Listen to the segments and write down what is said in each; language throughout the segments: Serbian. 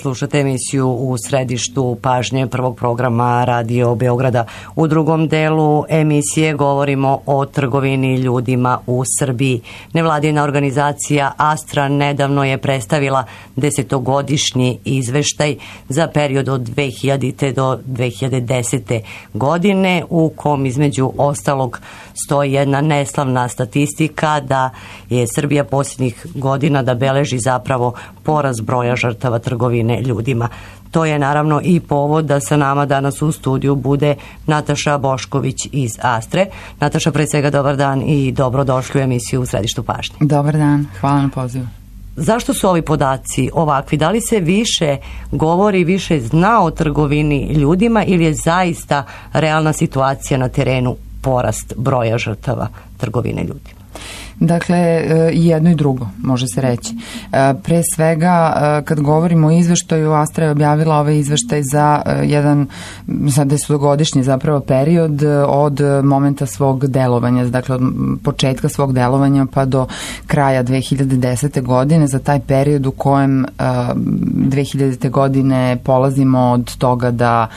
slušate emisiju U središtu pažnje prvog programa Radio Beograda. U drugom delu emisije govorimo o trgovini ljudima u Srbiji. Nevladina organizacija Astra nedavno je predstavila 10-godišnji izveštaj za period od 2000. do 2010. godine, u kom između ostalog stoji jedna neslavna statistika da je Srbija posljednjih godina da beleži zapravo porast broja žrtava trgovine ljudima. To je naravno i povod da sa nama danas u studiju bude Nataša Bošković iz Astre. Nataša, pre svega dobar dan i dobrodošli u emisiju U središtu pažnje. Dobar dan, hvala na pozivu. Zašto su ovi podaci ovakvi? Da li se više govori, više zna o trgovini ljudima ili je zaista realna situacija na terenu porast broja žrtava trgovine ljudima? Dakle, i jedno i drugo, može se reći. Pre svega, kad govorimo o izveštaju, Astra je objavila ovaj izveštaj za jedan 10-godišnji zapravo period od momenta svog delovanja, dakle od početka svog delovanja pa do kraja 2010. godine, za taj period u kojem 2000. godine polazimo od toga da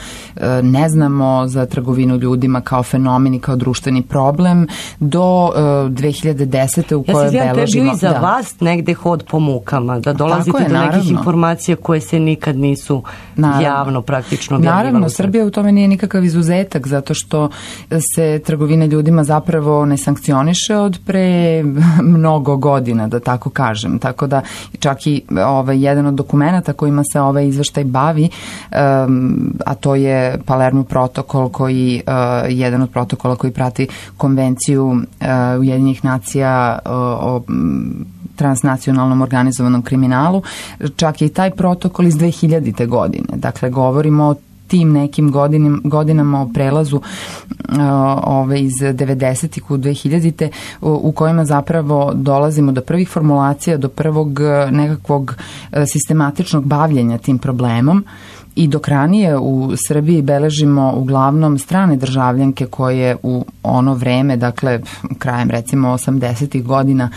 ne znamo za trgovinu ljudima kao fenomen i kao društveni problem, do 2010. u kojoj beležimo. Ja se izvijem, to je bio i za vas negde hod po mukama, da dolazite do nekih informacija koje se nikad nisu javno praktično objavljivale. Naravno, Srbija u tome nije nikakav izuzetak, zato što se trgovina ljudima zapravo ne sankcioniše od pre mnogo godina, da tako kažem. Tako da čak i jedan od dokumenta kojima se ovaj izveštaj bavi, a to je Palermo protokol, koji jedan od protokola koji prati konvenciju Ujedinjenih nacija o transnacionalnom organizovanom kriminalu, čak i taj protokol iz 2000. godine. Dakle, govorimo o tim nekim godinama o prelazu iz 90-ih u 2000-te u kojima zapravo dolazimo do prvih formulacija, do prvog nekakvog sistematičnog bavljenja tim problemom. I dok ranije u Srbiji beležimo uglavnom strane državljanke koje u ono vreme, dakle krajem recimo 80-ih godina,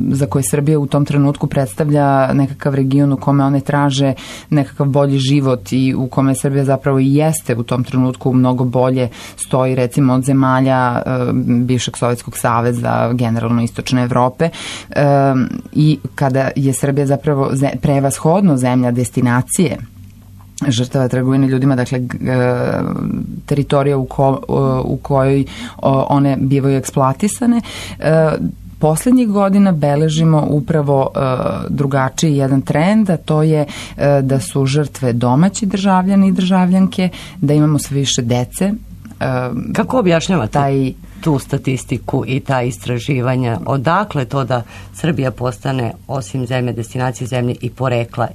za koje Srbija u tom trenutku predstavlja nekakav region u kome one traže nekakav bolji život i u kome Srbija zapravo i jeste u tom trenutku mnogo bolje stoji recimo od zemalja bivšeg Sovjetskog saveza, generalno Istočne Evrope, i kada je Srbija zapravo prevashodno zemlja destinacije žrtava trgovine ljudima, dakle teritorija u kojoj one bivaju eksploatisane, poslednjih godina beležimo upravo drugačiji jedan trend, a to je da su žrtve domaći državljani i državljanke, da imamo sve više dece. Kako objašnjavate tu statistiku i ta istraživanja? Odakle to da Srbija postane, osim zemlje destinacije, zemlje i porekla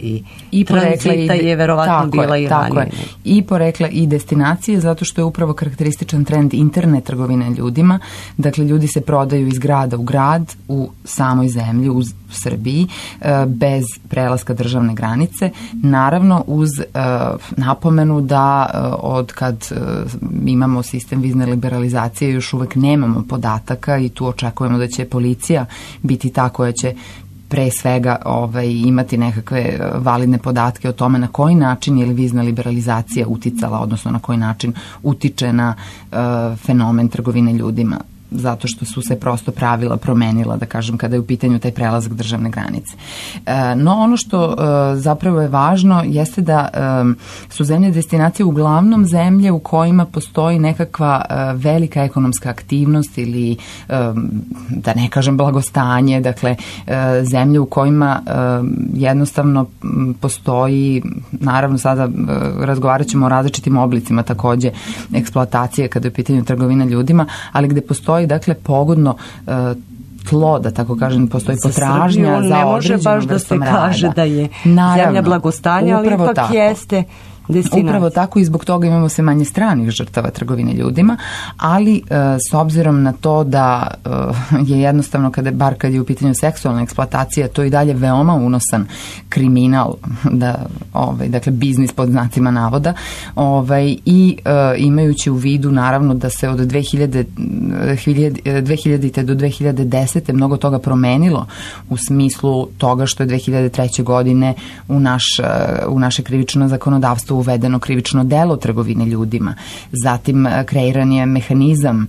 i tranzita je verovatno bila i ranije? I porekla i destinacije, zato što je upravo karakterističan trend interne trgovine ljudima. Dakle, ljudi se prodaju iz grada u grad u samoj zemlji, u Srbiji, bez prelaska državne granice. Naravno, uz napomenu da od kad imamo sistem vizne liberalizacije još uvek nemamo podataka i tu očekujemo da će policija biti ta koja će pre svega imati nekakve validne podatke o tome na koji način je li vizna liberalizacija uticala, odnosno na koji način utiče na fenomen trgovine ljudima, zato što su se prosto pravila promenila, da kažem, kada je u pitanju taj prelazak državne granice. No, ono što zapravo je važno jeste da su zemlje destinacije uglavnom zemlje u kojima postoji nekakva velika ekonomska aktivnost ili, da ne kažem, blagostanje, dakle, zemlje u kojima jednostavno postoji, naravno sada razgovarat ćemo o različitim oblicima takođe eksploatacije kada je u pitanju trgovina ljudima, ali gde postoji dakle pogodno tlo, da tako kažem, postoji potražnja za određenom vrstom rada. Ne može baš da se kaže da je zemlja blagostanja, ali ipak jeste destinacija. Upravo tako i zbog toga imamo sve manje stranih žrtava trgovine ljudima, ali s obzirom na to da je jednostavno, kad je u pitanju seksualna eksploatacija, to i dalje veoma unosan kriminal, dakle biznis pod znacima navoda, i imajući u vidu naravno da se od 2000. do 2010. mnogo toga promenilo u smislu toga što je 2003. godine u naše krivično zakonodavstvo uvedeno krivično delo trgovine ljudima. Zatim kreiran je mehanizam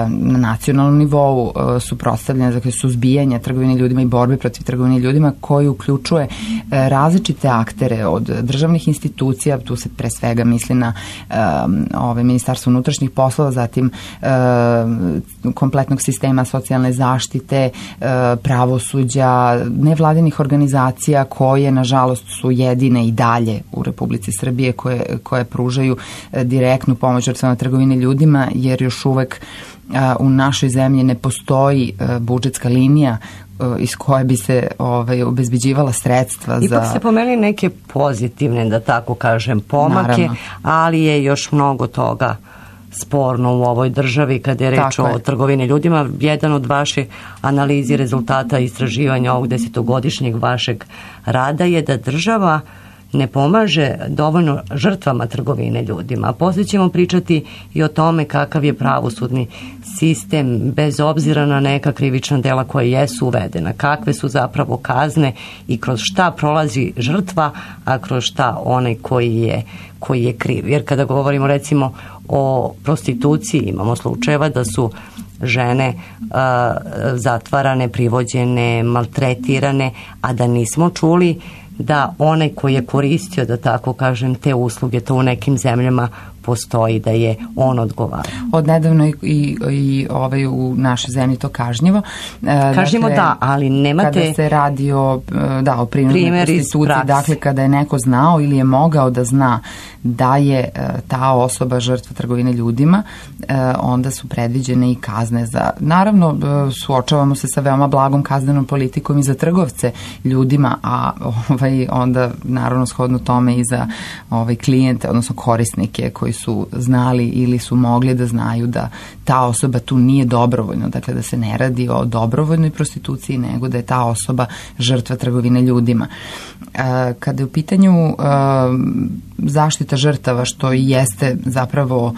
na nacionalnom nivou suprotstavljanja, dakle suzbijanja trgovine ljudima i borbe protiv trgovine ljudima, koji uključuje različite aktere od državnih institucija, tu se pre svega misli na Ministarstvo unutrašnjih poslova, zatim kompletnog sistema socijalne zaštite, pravosuđa, nevladinih organizacija koje nažalost su jedine i dalje u Republici Srbije koje pružaju direktnu pomoć žrtvama trgovine ljudima, jer još uvek u našoj zemlji ne postoji budžetska linija iz koje bi se obezbeđivala sredstva. Ipak se pomenuli neke pozitivne, da tako kažem, pomake, naravno, ali je još mnogo toga sporno u ovoj državi kada je reč o trgovini ljudima. Jedan od vaših analizi rezultata istraživanja ovog 10-godišnjeg vašeg rada je da država ne pomaže dovoljno žrtvama trgovine ljudima. Poslije ćemo pričati i o tome kakav je pravosudni sistem bez obzira na neka krivična dela koja jesu uvedena, kakve su zapravo kazne i kroz šta prolazi žrtva, a kroz šta onaj koji je kriv. Jer kada govorimo recimo o prostituciji, imamo slučajeva da su žene zatvarane, privođene, maltretirane, a da nismo čuli da onaj koji je koristio, da tako kažem, te usluge, to u nekim zemljama postoji, da je on odgovara. Od nedavno i u našoj zemlji to kažnjivo. Kažnjivo, dakle, da, ali nemate... Kada se radi o prinudnoj prostituciji, dakle kada je neko znao ili je mogao da zna da je ta osoba žrtva trgovine ljudima, onda su predviđene i kazne za... Naravno, suočavamo se sa veoma blagom kaznenom politikom i za trgovce ljudima, a onda naravno shodno tome i za klijente, odnosno korisnike koji su znali ili su mogli da znaju da ta osoba tu nije dobrovoljno, dakle da se ne radi o dobrovoljnoj prostituciji, nego da je ta osoba žrtva trgovine ljudima. Kada je u pitanju zaštita žrtava, što i jeste zapravo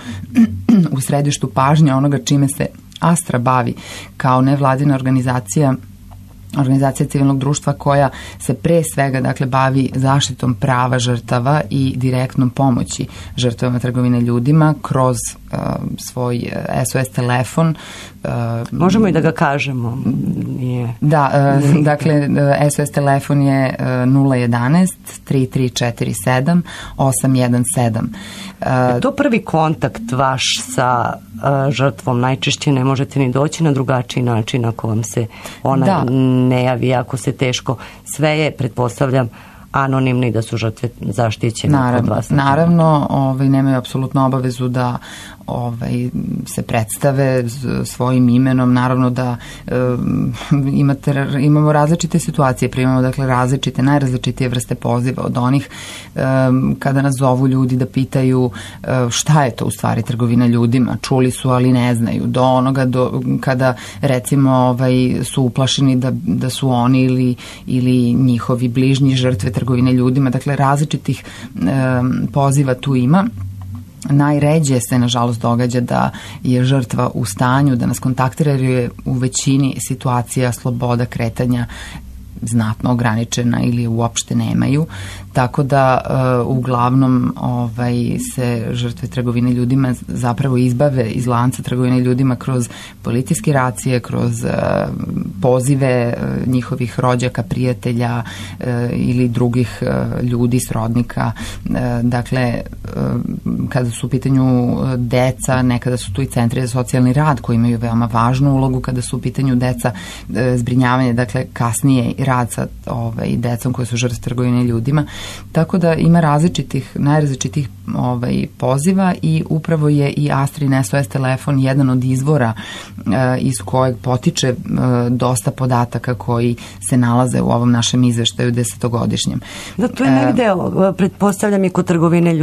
u središtu pažnje onoga čime se Astra bavi kao nevladina organizacija civilnog društva koja se pre svega bavi zaštitom prava žrtava i direktnom pomoći žrtvama trgovine ljudima kroz svoj SOS telefon. Možemo i da ga kažemo. Da, dakle SOS telefon je 011 3347 817. Je to prvi kontakt vaš sa žrtvom? Najčešće ne možete ni doći na drugačiji način ako vam se ona ne javi, ako se teško. Sve je, pretpostavljam, anonimni, da su žrtve zaštićene kod vas. Naravno, nemaju apsolutno obavezu da se predstave svojim imenom. Naravno da imamo različite situacije, primamo najrazličitije vrste poziva, od onih kada nas zovu ljudi da pitaju šta je to u stvari trgovina ljudima, čuli su ali ne znaju, do onoga kada recimo su uplašeni da su oni ili njihovi bližnji žrtve trgovine ljudima. Dakle, različitih poziva tu ima. Najređe se, nažalost, događa da je žrtva u stanju da nas kontaktira, jer je u većini situacija sloboda kretanja znatno ograničena ili uopšte nemaju, tako da uglavnom se žrtve trgovine ljudima zapravo izbave iz lanca trgovine ljudima kroz policijske racije, kroz pozive njihovih rođaka, prijatelja ili drugih ljudi, srodnika. Dakle, kada su u pitanju deca, nekada su tu i centri za socijalni rad koji imaju veoma važnu ulogu kada su u pitanju deca, zbrinjavanje, dakle kasnije rad sa decom koje su žrtve trgovine ljudima. Tako da ima najrazličitih poziva i upravo je i Astrin SOS telefon jedan od izvora iz kojeg potiče dosta podataka koji se nalaze u ovom našem izveštaju 10-godišnjem. Da, to je negde, pretpostavljam i kod trgovine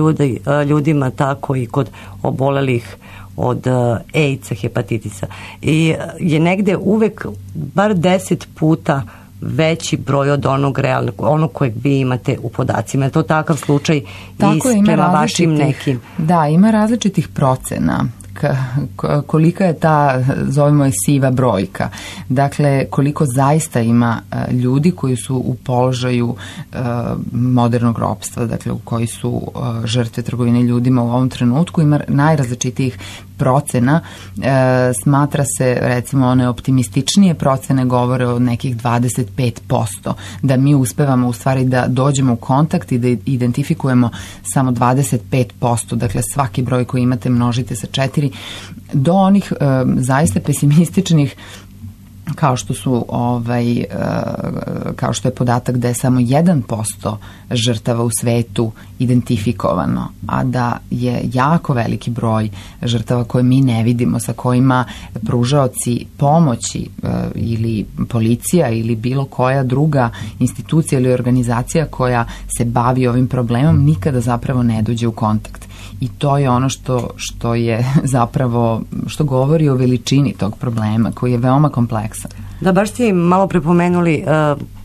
ljudima, tako i kod obolelih od AIDS-a, hepatitisa. I je negde uvek bar 10 puta veći broj od onog kojeg vi imate u podacima. Je to takav slučaj i prema vašim nekim? Da, ima različitih procena. Kolika je ta, zovemo je, siva brojka. Dakle, koliko zaista ima ljudi koji su u položaju modernog ropstva, dakle, u koji su žrtve trgovine ljudima u ovom trenutku. Ima najrazličitijih procena. Smatra se, recimo, one optimističnije procene govore o nekih 25%, da mi uspevamo u stvari da dođemo u kontakt i da identifikujemo samo 25%, dakle svaki broj koji imate množite sa 4, do onih zaista pesimističnih kao što su kao što je podatak da je samo 1% žrtava u svetu identifikovano, a da je jako veliki broj žrtava koje mi ne vidimo, sa kojima pružaoci pomoći ili policija ili bilo koja druga institucija ili organizacija koja se bavi ovim problemom nikada zapravo ne dođe u kontakt. I to je ono što je zapravo, što govori o veličini tog problema koji je veoma kompleksan. Da, baš ste malo prepomenuli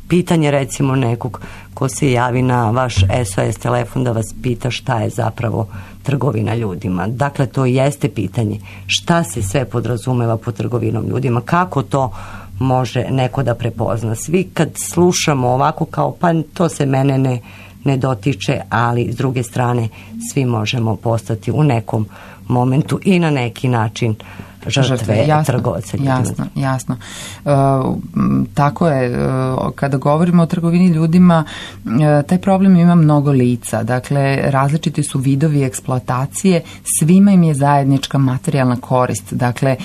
pitanje recimo nekog ko se javi na vaš SOS telefon da vas pita šta je zapravo trgovina ljudima. Dakle, to jeste pitanje šta se sve podrazumeva pod trgovinom ljudima, kako to može neko da prepozna. Svi kad slušamo ovako kao pa to se mene ne dotiče, ali s druge strane svi možemo postati u nekom momentu i na neki način žrtve trgovaca ljudima. Jasno. Tako je, kada govorimo o trgovini ljudima, taj problem ima mnogo lica. Dakle, različiti su vidovi eksploatacije, svima im je zajednička materijalna korist. Dakle,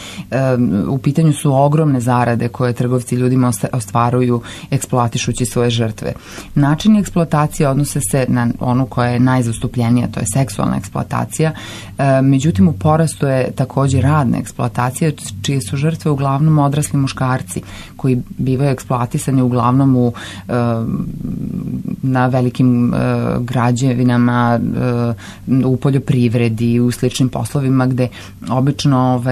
u pitanju su ogromne zarade koje trgovci ljudima ostvaruju eksploatišući svoje žrtve. Načini eksploatacije odnose se na onu koja je najzastupljenija, to je seksualna eksploatacija. Međutim, u porastu je također radna eksploatacija, čije su žrtve uglavnom odrasli muškarci koji bivaju eksploatisani uglavnom na velikim građevinama, u poljoprivredi, u sličnim poslovima gde obično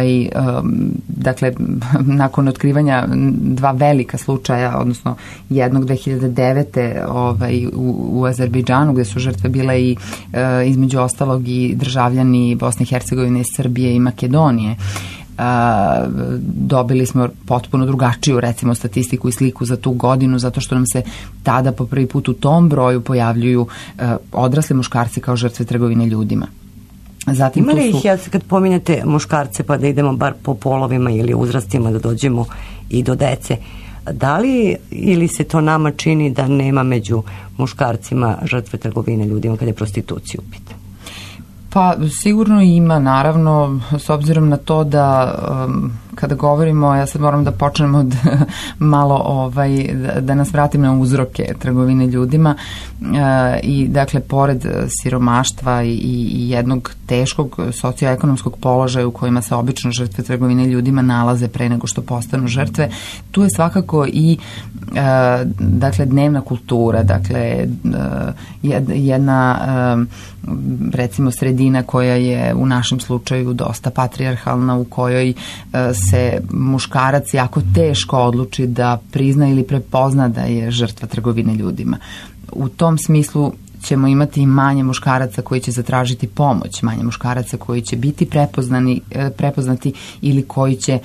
dakle, nakon otkrivanja dva velika slučaja, odnosno jednog 2009. U Azerbejdžanu gde su žrtve bile i između ostalog i državljani Bosne i Hercegovine, Srbije i Makedonije. Dobili smo potpuno drugačiju, recimo, statistiku i sliku za tu godinu, zato što nam se tada po prvi put u tom broju pojavljuju odrasli muškarci kao žrtve trgovine ljudima. Zatim ima li ih, kad pominjete muškarce, pa da idemo bar po polovima ili uzrastima da dođemo i do dece, da li ili se to nama čini da nema među muškarcima žrtve trgovine ljudima kada je prostitucija u pitanju? Pa sigurno ima, naravno, s obzirom na to da kada govorimo, ja sad moram da počnem od malo da nas vratim na uzroke trgovine ljudima i dakle pored siromaštva i jednog teškog socioekonomskog položaja u kojima se obično žrtve trgovine ljudima nalaze pre nego što postanu žrtve, tu je svakako i dakle dnevna kultura, dakle jedna recimo sredina koja je u našem slučaju dosta patrijarhalna, u kojoj se muškarac jako teško odluči da prizna ili prepozna da je žrtva trgovine ljudima. U tom smislu ćemo imati manje muškaraca koji će zatražiti pomoć, manje muškaraca koji će biti prepoznati ili koji će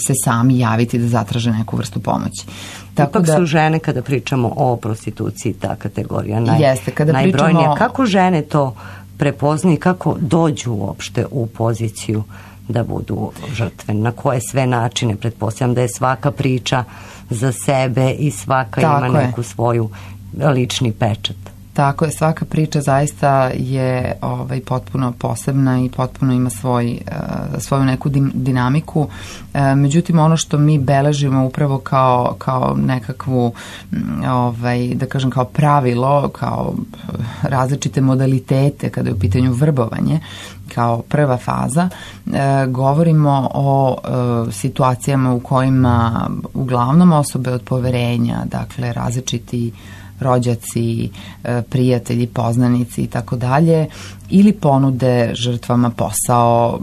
se sami javiti da zatraže neku vrstu pomoći. Ipak su žene, kada pričamo o prostituciji, ta kategorija najbrojnija. Pričamo... Kako žene to prepoznaju i kako dođu uopšte u poziciju da budu žrtve? Na koje sve načine? Pretpostavljam da je svaka priča za sebe i svaka ima neku svoju lični pečat. Tako je, svaka priča zaista je potpuno posebna i potpuno ima svoju neku dinamiku. Međutim, ono što mi beležimo upravo kao nekakvu, da kažem, kao pravilo, kao različite modalitete kada je u pitanju vrbovanje, kao prva faza, govorimo o situacijama u kojima uglavnom osobe od poverenja, dakle različiti rođaci, prijatelji, poznanici i tako dalje, ili ponude žrtvama posao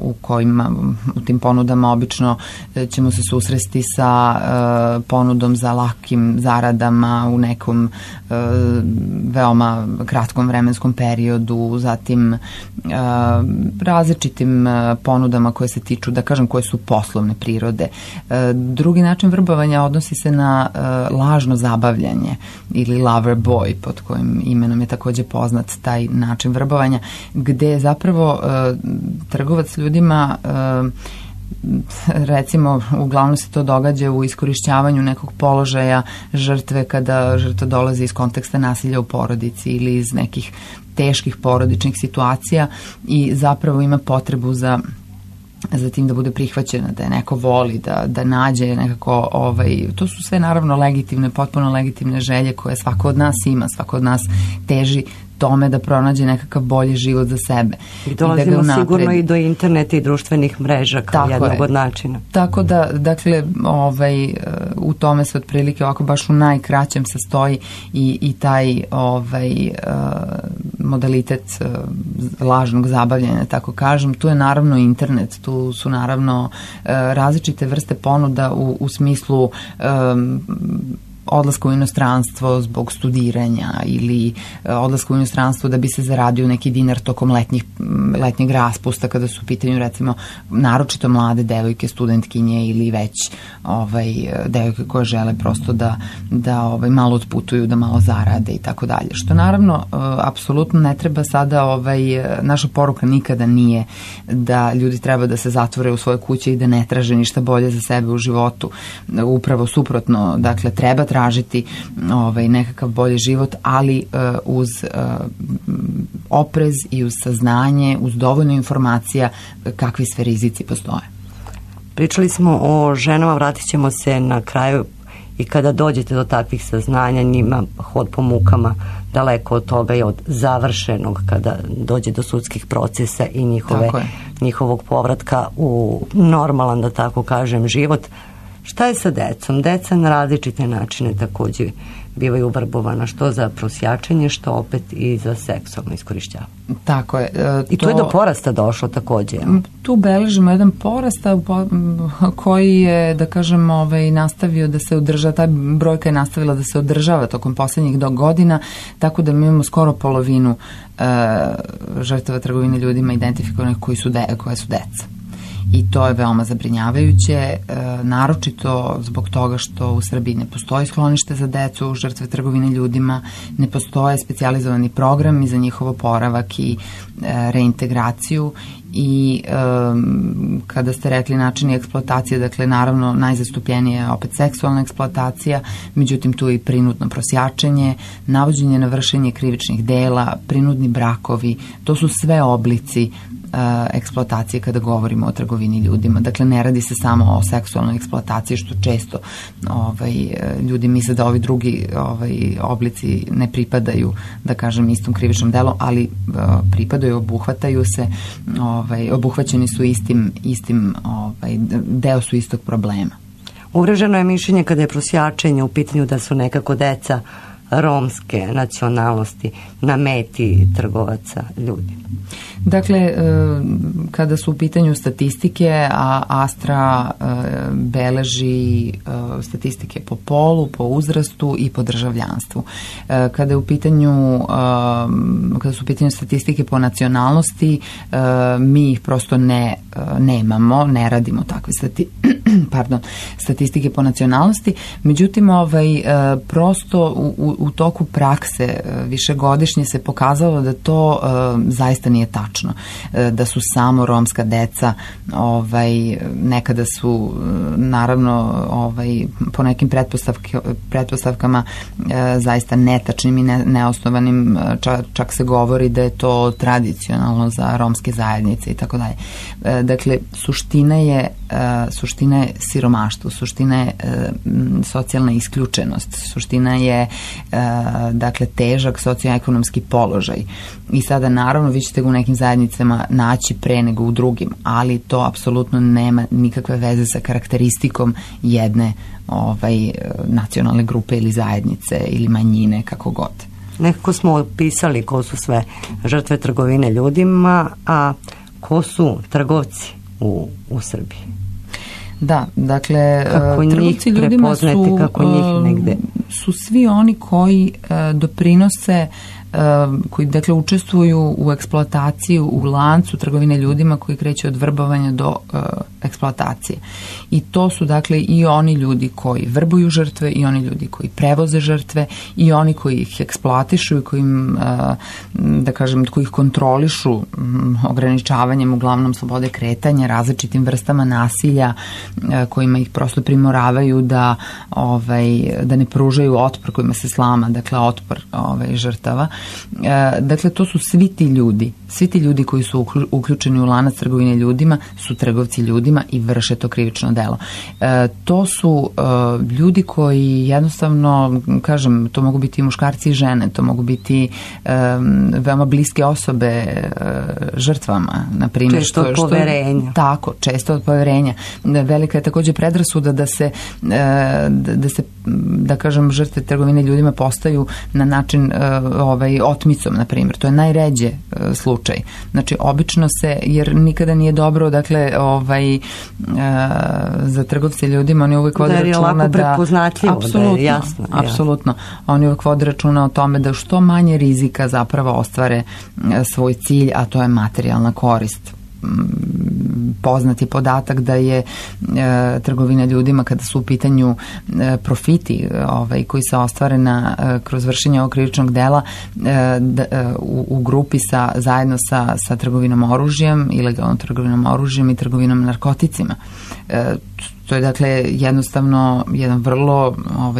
u tim ponudama obično ćemo se susresti sa ponudom za lakim zaradama u nekom veoma kratkom vremenskom periodu, zatim različitim ponudama koje se tiču, da kažem, koje su poslovne prirode. Drugi način vrbovanja odnosi se na lažno zabavljanje ili lover boy, pod kojim imenom je takođe poznat taj način vrbovanja, gde zapravo trgovac ljudima, recimo, uglavnom se to događa u iskorišćavanju nekog položaja žrtve kada žrtva dolazi iz konteksta nasilja u porodici ili iz nekih teških porodičnih situacija i zapravo ima potrebu za tim da bude prihvaćena, da je neko voli, da nađe nekako, to su sve naravno legitimne, potpuno legitimne želje koje svako od nas ima, svako od nas teži tome da pronađe nekakav bolji život za sebe. I dolazimo sigurno i do interneta i društvenih mreža kao jednog od načina. Tako da, dakle, u tome se otprilike ovako baš u najkraćem sastoji i taj modalitet lažnog zabavljanja, tako kažem. Tu je naravno internet, tu su naravno različite vrste ponuda u smislu odlaska u inostranstvo zbog studiranja ili odlaska u inostranstvo da bi se zaradio neki dinar tokom letnjeg raspusta kada su u pitanju, recimo, naročito mlade devojke, studentkinje ili već devojke koje žele prosto da malo otputuju, da malo zarade i tako dalje. Što naravno apsolutno ne treba sada, naša poruka nikada nije da ljudi treba da se zatvore u svoje kuće i da ne traže ništa bolje za sebe u životu. Upravo suprotno, dakle, treba tražiti nekakav bolji život, ali uz oprez i uz saznanje, uz dovoljno informacija kakvi sve rizici postoje. Pričali smo o ženama, vratit ćemo se na kraju i kada dođete do takvih saznanja, njima hod po mukama daleko od toga i od završenog kada dođe do sudskih procesa i njihovog povratka u normalan, da tako kažem, život. Šta je sa decom? Deca na različite načine takođe bivaju vrbovana, što za prosjačenje, što opet i za seksualno iskorišćavanje. Tako je. I tu je do porasta došlo takođe. Tu beležimo jedan porast koji je, da kažem, nastavio da se održava, ta brojka je nastavila da se održava tokom poslednjih godina, tako da mi imamo skoro polovinu žrtava trgovine ljudima identifikovanih koje su deca. I to je veoma zabrinjavajuće, naročito zbog toga što u Srbiji ne postoji sklonište za decu, žrtve trgovine ljudima, ne postoje specijalizovani programi za njihov oporavak i reintegraciju i kada ste rekli načini eksploatacije, dakle naravno najzastupljenija je opet seksualna eksploatacija, međutim tu je i prinudno prosjačenje, navođenje na vršenje krivičnih dela, prinudni brakovi, to su sve oblici eksploatacije kada govorimo o trgovini ljudima. Dakle, ne radi se samo o seksualnoj eksploataciji, što često ljudi misle da ovi drugi oblici ne pripadaju, da kažem, istom krivičnom delu, ali pripadaju, obuhvataju se, obuhvaćeni su istim deo su istog problema. Uvreženo je mišljenje kada je prosjačenje u pitanju da su nekako deca romske nacionalnosti na meti trgovaca ljudi. Dakle, kada su u pitanju statistike, a Astra beleži statistike po polu, po uzrastu i po državljanstvu. Kada su u pitanju statistike po nacionalnosti, mi ih prosto nemamo, ne radimo takve statistike po nacionalnosti. Međutim, prosto u toku prakse višegodišnje se pokazalo da to zaista nije tačno. Da su samo romska deca, nekada su naravno po nekim pretpostavkama zaista netačnim i neosnovanim, čak se govori da je to tradicionalno za romske zajednice i tako dalje. Dakle, suština je siromaštvo, suština je socijalna isključenost, suština je dakle težak socioekonomski položaj. I sada naravno vi ćete ga u nekim zajednicama naći pre nego u drugim, ali to apsolutno nema nikakve veze sa karakteristikom jedne nacionalne grupe ili zajednice ili manjine, kako god. Nekako smo opisali ko su sve žrtve trgovine ljudima, a ko su trgovci u Srbiji? Da, dakle, trgovci ljudima su svi oni koji doprinose, koji dakle učestvuju u eksploataciji, u lancu trgovine ljudima koji kreće od vrbovanja do eksploatacije. I to su dakle i oni ljudi koji vrbuju žrtve, i oni ljudi koji prevoze žrtve, i oni koji ih eksploatišu i koji im, da kažem, koji ih kontrolišu ograničavanjem uglavnom slobode kretanja, različitim vrstama nasilja kojima ih prosto primoravaju da ne pružaju otpor, kojima se slama, dakle otpor žrtava. Dakle, to su svi ti ljudi koji su uključeni u lanac trgovine ljudima su trgovci ljudima i vrše to krivično delo. To su ljudi koji jednostavno, kažem, to mogu biti i muškarci i žene, to mogu biti veoma bliske osobe žrtvama, na primjer. Često od poverenja. Tako, često od poverenja. Velika je takođe predrasuda da se, da kažem, žrtve trgovine ljudima postaju na način otmicom, na primjer. To je najređe slučaj. Znači, obično se, jer nikada nije dobro, dakle, za trgovce ljudima, oni uvek vode računa da... prepoznatljivo, da je jasno. Apsolutno. Oni uvek vode računa o tome da što manje rizika zapravo ostvare svoj cilj, a to je materijalna korist. Poznati podatak da je trgovina ljudima, kada su u pitanju profiti koji se ostvare kroz vršenje ovog krivičnog dela, u grupi zajedno sa trgovinom oružjem, ilegalnom trgovinom oružjem i trgovinom narkoticima. To je dakle jednostavno jedan vrlo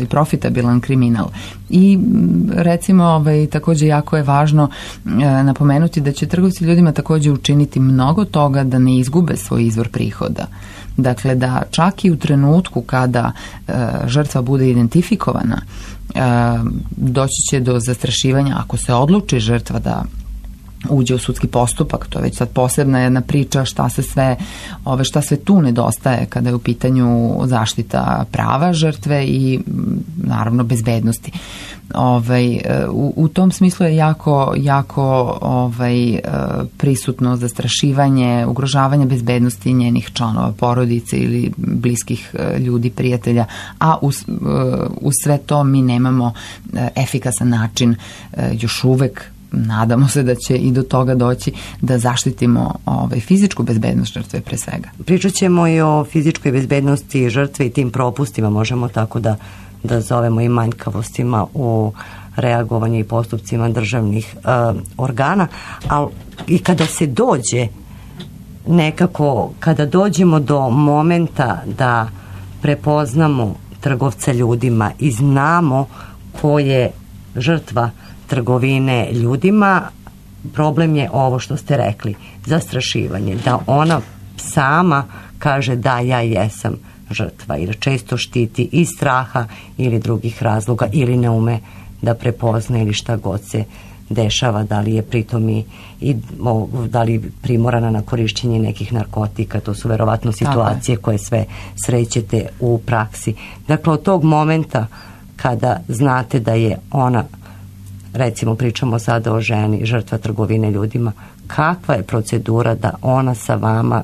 profitabilan kriminal. I recimo takođe jako je važno napomenuti da će trgovci ljudima takođe učiniti mnogo toga da ne izgube svoj izvor prihoda. Dakle, da čak i u trenutku kada žrtva bude identifikovana, doći će do zastrašivanja ako se odluči žrtva da uđe u sudski postupak. To je već sad posebna jedna priča šta sve tu nedostaje kada je u pitanju zaštita prava žrtve i naravno bezbednosti. U tom smislu je jako prisutno zastrašivanje, ugrožavanje bezbednosti njenih članova porodice ili bliskih ljudi, prijatelja, a uz sve to mi nemamo efikasan način još uvek. Nadamo se da će i do toga doći da zaštitimo fizičku bezbednost žrtve pre svega. Pričat ćemo i o fizičkoj bezbednosti žrtve i tim propustima, možemo tako da zovemo, i manjkavostima u reagovanju i postupcima državnih organa, ali i kada se dođe nekako, kada dođemo do momenta da prepoznamo trgovca ljudima i znamo ko je žrtva trgovine ljudima, problem je ovo što ste rekli, zastrašivanje, da ona sama kaže da ja jesam žrtva, jer često štiti iz straha ili drugih razloga, ili ne ume da prepozna ili šta god se dešava, da li je pritom i da li primorana na korišćenje nekih narkotika. To su verovatno situacije koje sve srećete u praksi. Dakle, od tog momenta kada znate da je ona, recimo pričamo sada o ženi, žrtva trgovine ljudima, kakva je procedura da ona sa vama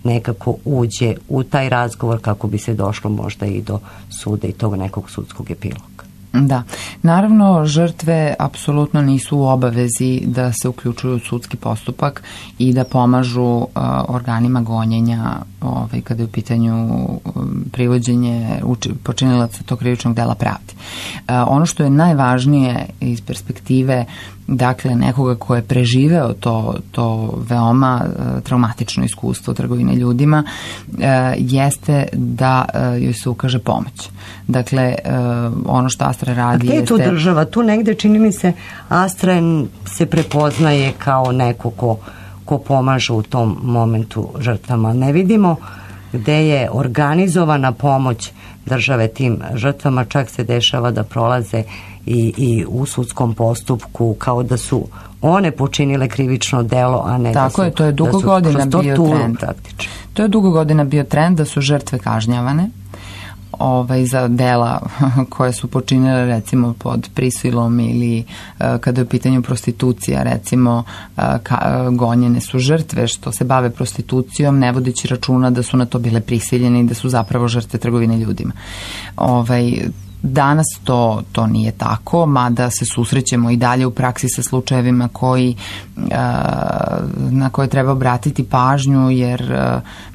nekako uđe u taj razgovor kako bi se došlo možda i do suda i tog nekog sudskog epiloga? Da, naravno žrtve apsolutno nisu u obavezi da se uključuju u sudski postupak i da pomažu organima gonjenja kada je u pitanju privođenje počinilaca tog krivičnog dela pravdi. Ono što je najvažnije iz perspektive dakle nekoga ko je preživeo to veoma traumatično iskustvo trgovine ljudima jeste da joj se ukaže pomoć. Dakle, ono što Astra radi jeste... A gde je tu država? Tu negde čini mi se Astra se prepoznaje kao neko ko pomaže u tom momentu žrtvama. Ne vidimo gde je organizovana pomoć države tim žrtvama, čak se dešava da prolaze i u sudskom postupku kao da su one počinile krivično delo, a ne tako je, to je dugo godina bio trend. To je dugo godina bio trend da su žrtve kažnjavane za dela koje su počinile recimo pod prisilom ili kada je u pitanju prostitucija, recimo gonjene su žrtve što se bave prostitucijom ne vodeći računa da su na to bile prisiljene i da su zapravo žrtve trgovine ljudima. Danas to nije tako, mada se susrećemo i dalje u praksi sa slučajevima na koje treba obratiti pažnju jer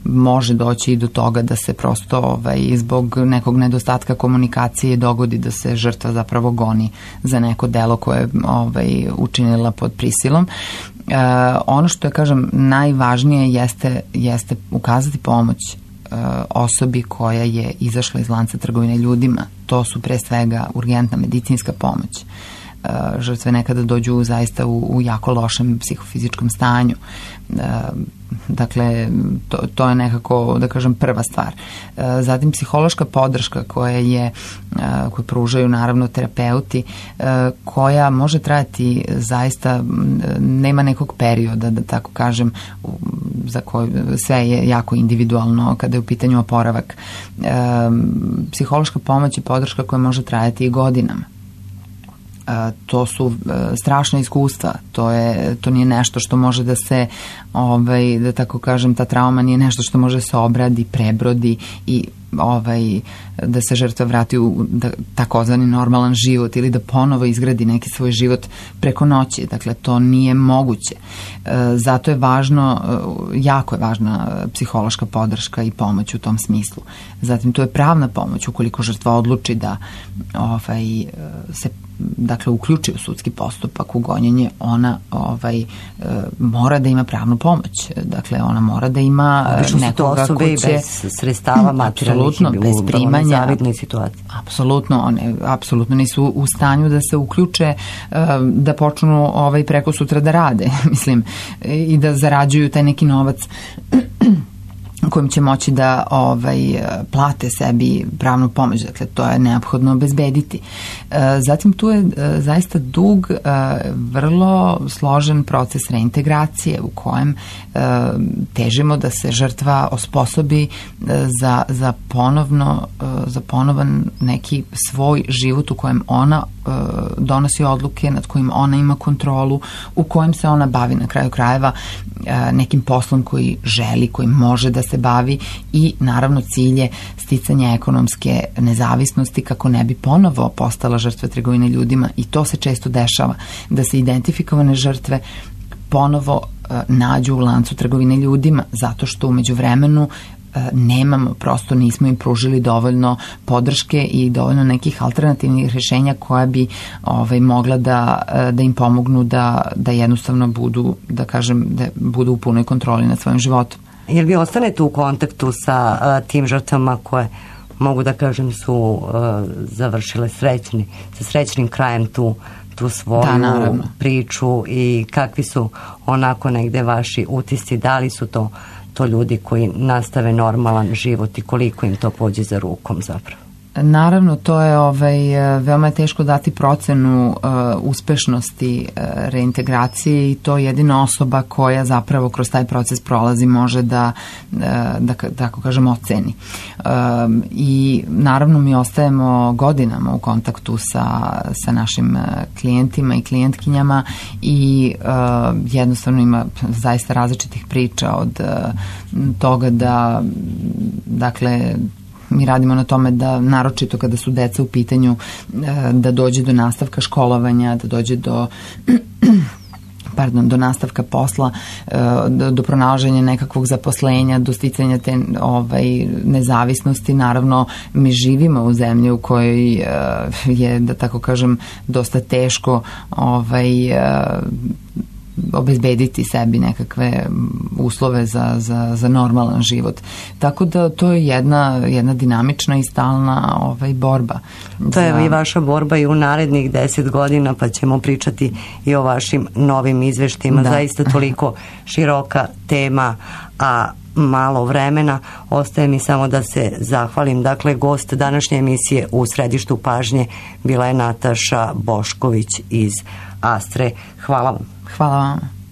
može doći i do toga da se prosto zbog nekog nedostatka komunikacije dogodi da se žrtva zapravo goni za neko delo koje je učinila pod prisilom. Ono što je, kažem, najvažnije jeste ukazati pomoć osobi koja je izašla iz lanca trgovine ljudima. To su pre svega urgentna medicinska pomoć. Žrtve nekada dođu zaista u jako lošem psihofizičkom stanju. Dakle, to je nekako, da kažem, prva stvar. Zatim psihološka podrška koju pružaju naravno terapeuti, koja može trajati zaista, nema nekog perioda, da tako kažem, za koji sve je jako individualno kada je u pitanju oporavak. Psihološka pomoć i podrška koja može trajati i godinama. To su strašna iskustva, to nije nešto što može da se, da tako kažem, ta trauma nije nešto što može se obradi, prebrodi i da se žrtva vrati u takozvani normalan život ili da ponovo izgradi neki svoj život preko noći. Dakle, to nije moguće. Zato je važno, jako je važna psihološka podrška i pomoć u tom smislu. Zatim, tu je pravna pomoć ukoliko žrtva odluči da se uključi u sudski postupak, u gonjenje, ona mora da ima pravnu pomoć. Dakle, ona mora da ima nekoga ko će... bez sredstava materijalnih i bez primanja. Zavidnoj situaciji. Apsolutno, one apsolutno nisu u stanju da se uključe, da počnu preko sutra da rade, mislim, i da zarađuju taj neki novac kojim će moći da plate sebi pravnu pomoć. Dakle, to je neophodno obezbediti. Zatim tu je zaista dug, vrlo složen proces reintegracije u kojem težimo da se žrtva osposobi za ponovan neki svoj život u kojem ona donosi odluke, nad kojim ona ima kontrolu, u kojem se ona bavi na kraju krajeva nekim poslom koji želi, koji može da se bavi i naravno cilj je sticanje ekonomske nezavisnosti kako ne bi ponovo postala žrtva trgovine ljudima i to se često dešava, da se identifikovane žrtve ponovo nađu u lancu trgovine ljudima zato što u međuvremenu nemamo, prosto nismo im pružili dovoljno podrške i dovoljno nekih alternativnih rješenja koja bi mogla da im pomognu da jednostavno budu, da kažem, da budu u punoj kontroli nad svojim životom. Jel vi ostanete u kontaktu sa tim žrtvama koje, mogu da kažem, su završile sa srećnim krajem tu svoju priču i kakvi su onako negde vaši utisci, da li su to ljudi koji nastave normalan život i koliko im to pođe za rukom zapravo? Naravno, to je veoma je teško dati procenu uspešnosti reintegracije i to jedina osoba koja zapravo kroz taj proces prolazi može da tako kažem oceni. I naravno mi ostajemo godinama u kontaktu sa našim klijentima i klijentkinjama i jednostavno ima zaista različitih priča od toga da dakle mi radimo na tome da, naročito kada su deca u pitanju, da dođe do nastavka školovanja, da dođe do do nastavka posla, do pronalaženja nekakvog zaposlenja, do sticanja te nezavisnosti. Naravno, mi živimo u zemlji u kojoj je, da tako kažem, dosta teško obezbediti sebi nekakve uslove za normalan život. Tako da to je jedna dinamična i stalna borba. To je i vaša borba i u narednih 10 godina, pa ćemo pričati i o vašim novim izveštima. Da. Zaista toliko široka tema, a malo vremena. Ostaje mi samo da se zahvalim. Dakle, gost današnje emisije U središtu pažnje bila je Nataša Bošković iz Astre. Hvala vam. Hvala vam.